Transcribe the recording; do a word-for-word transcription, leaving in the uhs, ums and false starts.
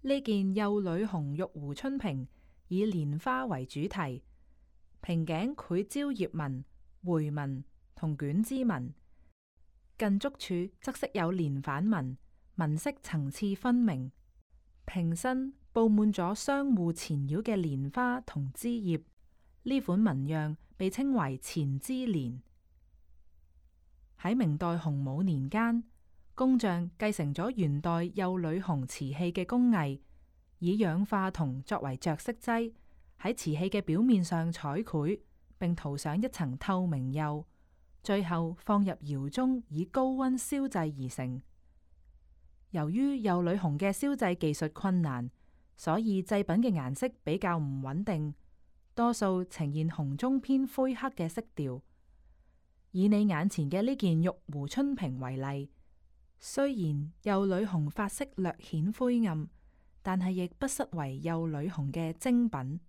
呢件幼女紅玉壺春瓶以蓮花為主題，瓶頸繪蕉葉紋、回紋同卷枝紋，近足處則飾有連反紋，紋飾層次分明。瓶身布滿咗相互纏繞嘅蓮花同枝葉，呢款紋樣被稱為纏枝蓮。喺明代洪武年間，工匠繼承咗元代幼女紅瓷器嘅工藝，以氧化銅作為着色劑，喺瓷器嘅表面上彩繪，並塗上一層透明釉，最後放入窯中以高溫燒製而成。由於幼女紅嘅燒製技術困難，所以製品嘅顏色比較唔穩定，多數呈現紅中偏灰黑嘅色調。以你眼前嘅呢件玉壺春瓶為例，雖然幼女紅髮色略顯灰暗，但係亦不失為幼女紅嘅精品。